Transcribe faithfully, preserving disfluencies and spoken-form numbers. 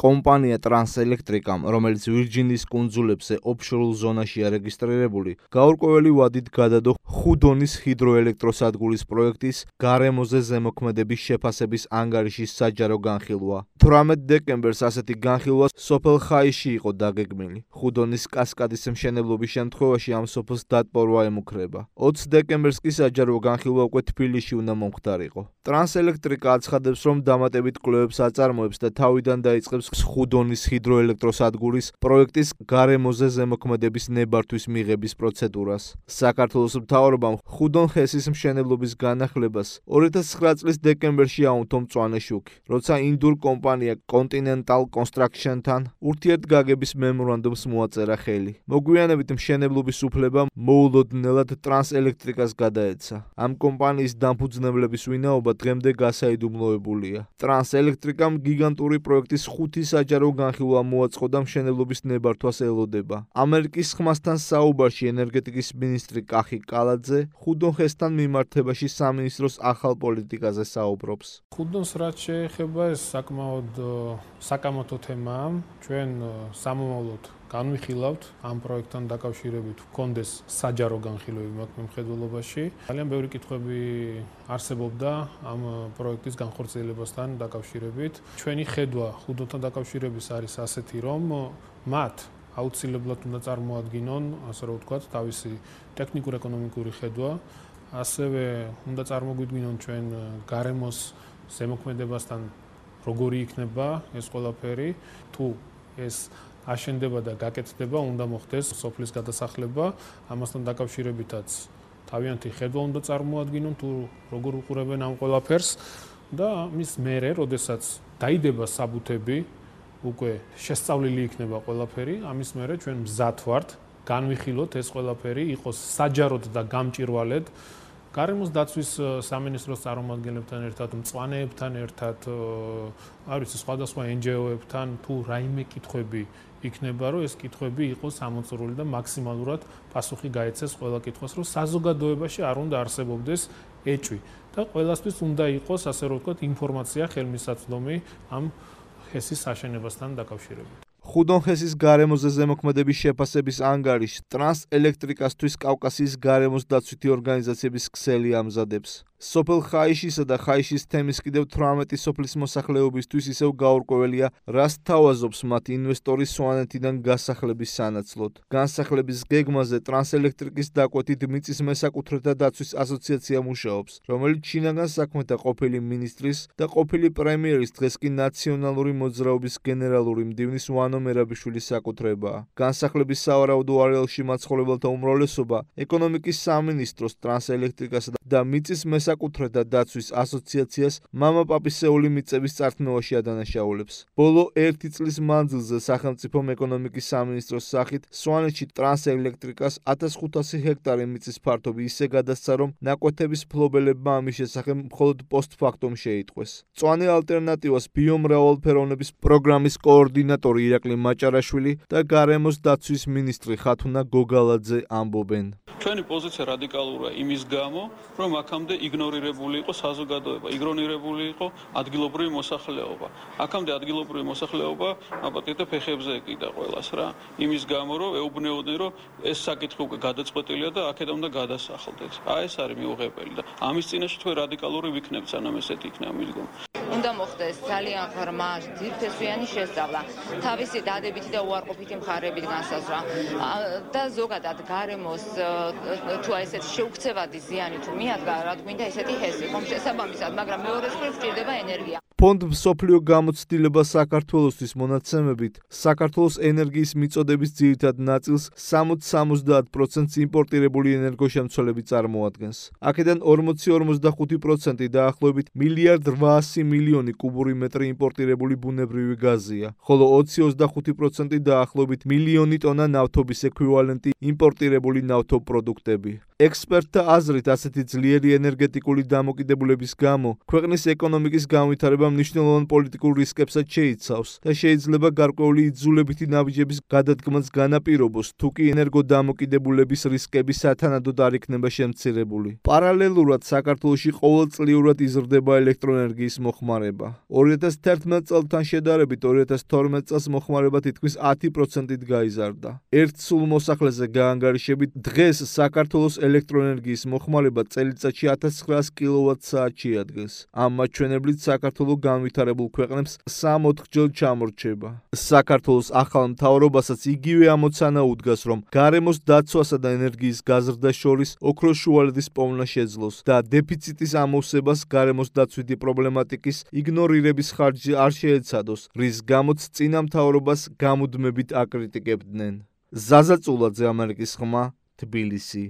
კომპანია ტრანსელექტრიკამ, რომელიც ვირჯინის კუნძულებზე ოფშორულ ზონაშია რეგისტრირებული, გაურკვეველი ვადით გადადო ხუდონის ჰიდროელექტროსადგურის პროექტის გარემოზე ზემოქმედების შეფასების ანგარიშის საჯარო განხილვა. თვრამეტ დეკემბერს ასეთი განხილვა სოფელ ხაიში იყო დაგეგმილი. ხუდონის კასკადის მშენებლობის შემთხვევაში ამ სოფელს დატბორვა ემუქრება. ოცი დეკემბერს კი საჯარო განხილვა უკვე თბილისში უნდა მომხდარიყო. ტრანსელექტრიკა აცხადებს, რომ დამატებით კვლევებს აწარმოებს და თავიდან დაიწყებს ხუდონის ჰიდროელექტროსადგურის პროექტის გარემოზე ზემოქმედების ნებართვის მიღების პროცედურას. საქართველოს მთავრობამ ხუდონ ჰესის მშენებლობის განახლებას ორი ათას ცხრა წლის დეკემბერში აუნთო მწვანე შუქი, როცა ინდურ კომპანია Continental Construction-თან ურთიერთგაგების მემორანდუმს მოაწერა ხელი. მოგვიანებით მშენებლობის უფლება მოულოდნელად ტრანსელექტრიკას გადაეცა. ამ კომპანიის დამფუძნებლების ვინაობა დღემდე გასაიდუმლოებულია. ტრანსელექტრიკამ გიგანტური პროექტის ხუთი საჯარო განხილვა მოაწყო და მშენებლობის ნებართვას ელოდება. ამერიკის ხმასთან საუბარში ენერგეტიკის მინისტრი კახი კალაძე ხუდონ ჰესთან მიმართებაში სამინისტროს ახალ პოლიტიკაზე საუბრობს. ხუდონს რაც შეეხება, ეს საკმაოდ საკამათო თემაა. ჩვენ სამომავლოდ განვიხილავთ ამ პროექტთან დაკავშირებით ვქონდეს საჯარო განხილვები მაგ მიმხედველობაში. ძალიან ბევრი კითხვები არსებობდა ამ პროექტის განხორციელებასთან დაკავშირებით. ჩვენი ხედვა ხუდონთან დაკავშირების არის ასეთი, რომ მათ აუცილებლად უნდა წარმოადგინონ, ასე რომ ვთქვათ, თავისი ტექნიკურ-ეკონომიკური ხედვა, ასევე უნდა წარმოგვიდგინონ ჩვენ გარემოს ზემოქმედებასთან როგორი იქნება ეს ყველაფერი, თუ ეს აშენდება და გაკეთდება, უნდა მოხდეს სოფლის გადასახლება, ამასთან დაკავშირებითაც თავიანთი ხედვა უნდა წარმოადგინონ, თუ როგორ უყურებენ ამ ყველაფერს და მის მერე, როდესაც დაიდება საბუთები, უკვე შესწავლილი იქნება ყველაფერი, ამის მერე ჩვენ მზად ვართ განვიხილოთ ეს ყველაფერი, იყოს საჯაროდ და გამჭირვალედ გარემოს დაცვის სამინისტროს წარმომადგენლებთან ერთად, მწვანეებთან ერთად, არის სხვადასხვა εν ჯი ო-ებთან, თუ რაიმე კითხვები იქნება, რომ ეს კითხვები იყოს ამოწურული და მაქსიმალურად პასუხი გაეცეს ყველა კითხვას, რომ საზოგადოებაში არ უნდა არსებობდეს ეჭვი და ყველასთვის უნდა იყოს, ასე რომ ვთქვათ, ინფორმაცია ხელმისაწვდომი ამ ჰესის აშენებასთან დაკავშირებით. ხუდონ ჰესის გარემოზე ზემოქმედების შეფასების ანგარიშს ტრანსელექტრიკასთვის კავკასიის გარემოს დაცვითი ორგანიზაციების ქსელი ამზადებს. სოფელ ხაიშისა და ხაიშის თემის კიდევ თვრამეტი სოფლის მოსახლეობისთვის ისევ გაურკვეველია, რას თავაზობს მათ ინვესტორი სვანეთიდან გასახლების სანაცვლოდ. განსახლების გეგმაზე ტრანსელექტრიკის დაკვეთით მიწის მესაკუთრეთა დაცვის ასოციაცია მუშაობს, რომელიც შინაგან საქმეთა ყოფილი მინისტრის და ყოფილი პრემიერის, დღეს კი ნაციონალური მოძრაობის გენერალური მდივნის ვანო მერაბიშვილის საკუთრებაა. განსახლების სავარაუდო არეალში მაცხოვრებელთა უმრავლესობა ეკონომიკის სამინისტროს, ტრანსელექტრიკასა და მიწის საკუთრეთა დაცვის ასოციაციას მამაპაპისეული მიწების წართმევაში ადანაშაულებს. ბოლო ერთი წლის მანძილზე სახელმწიფომ ეკონომიკის სამინისტროს სახით სვანეთში ტრანსელექტრიკას ათას ხუთასი ჰექტარი მიწის ფართობი ისე გადასცა, რომ ნაკვეთების მფლობელებმა ამის შესახებ მხოლოდ პოსტფაქტუმ შეიტყვეს. მწვანე ალტერნატივას ბიომრავალფეროვნების პროგრამის კოორდინატორი ირაკლი მაჭარაშვილი და გარემოს დაცვის მინისტრი ხათუნა გოგალაძე ამბობენ. ჩვენი პოზიცია რადიკალურია იმის გამო, რომ აქამდე იგნორირებული იყო საზოგადოება, იგნორირებული იყო ადგილობრივი მოსახლეობა. აქამდე ადგილობრივი მოსახლეობა აპატიტა ფეხებზე ეკიდა ყველას რა. იმის გამო, რომ ეუბნეოდნენ, რომ ეს საკითხი უკვე გადაწყვეტილია და აქედან უნდა გადასახლდეთ. აი ეს არის მიუღებელი და ამის წინაშე თქვენ რადიკალური ვიქნებთ, სანამ ესეთი იქნება მიდგომა. უნდა მოხდეს ძალიან ღრმა, ძირფესვიანი შესწავლა, თავისი დადებითი და უარყოფითი მხარეებით განსაზღვრა და ზოგადად გარემოს თუ ესეთ შეუქცევადი ზიანი თუ მიადგა, რა გვინდა ესეთი ჰესი, ხომ შესაბამისად, მაგრამ მეორე მხრივ სჭირდება ენერგია. ფონდ მსოფლიო გამოცდილება საქართველოსთვის მონაცემებით, საქართველოს ენერგიის მიწოდების ძირითად ნაწილს სამოცდა სამოცდაათ პროცენტს იმპორტირებული ენერგოშემცველები წარმოადგენს. აქედან ორმოცი ორმოცდახუთი პროცენტი დაახლოებით მილიარდ რვაასი მილიონი კუბური მეტრი იმპორტირებული ბუნებრივი გაზია, ხოლო ოცი ოცდახუთი პროცენტი დაახლოებით მილიონი ტონა ნავთობის ექვივალენტი იმპორტირებული ნავთობპროდუქტები. ექსპერტთა აზრით, ასეთი ძლიერი ენერგეტიკული დამოკიდებულების გამო ქვეყნის ეკონომიკის განვითარება მნიშვნელოვან პოლიტიკურ რისკებსაც შეიცავს და შეიძლება გარკვეული იძულებითი ნაბიჯების გადადგმაც განაპირობოს, თუ კი ენერგოდამოკიდებულების რისკები სათანადოდ არ იქნება შემცირებული. პარალელურად საქართველოში ყოველწლიურად იზრდება ელექტროენერგიის მოხმარება. ორი ათას თერთმეტ წელთან შედარებით ორი ათას თორმეტ წელს მოხმარება თითქმის ათი პროცენტით გაიზარდა. ერთ სულ მოსახლეზე გაანგარიშებით დღეს საქართველოს ელექტროენერგიის მოხმარება წელიწადში ათას ცხრაას კილოვატ-საათს შეადგენს. ამ მაჩვენებლით საქართველო განვითარებულ ქვეყნებს სამ-ოთხჯერ ჩამორჩება. საქართველოს ახალ მთავრობასაც იგივე ამოცანა უდგას, რომ გარემოს დაცვასა და ენერგიის გაზრდას შორის ოქროს შუალედის პოვნა შეძლოს და დეფიციტის ამოვსებას გარემოს დაცვითი პრობლემატიკის იგნორირების ხარჯი არ შეეცადოს, რის გამოც წინა მთავრობას გამუდმებით აკრიტიკებდნენ. ზაზა წულაძე, ამერიკის ხმა, თბილისი.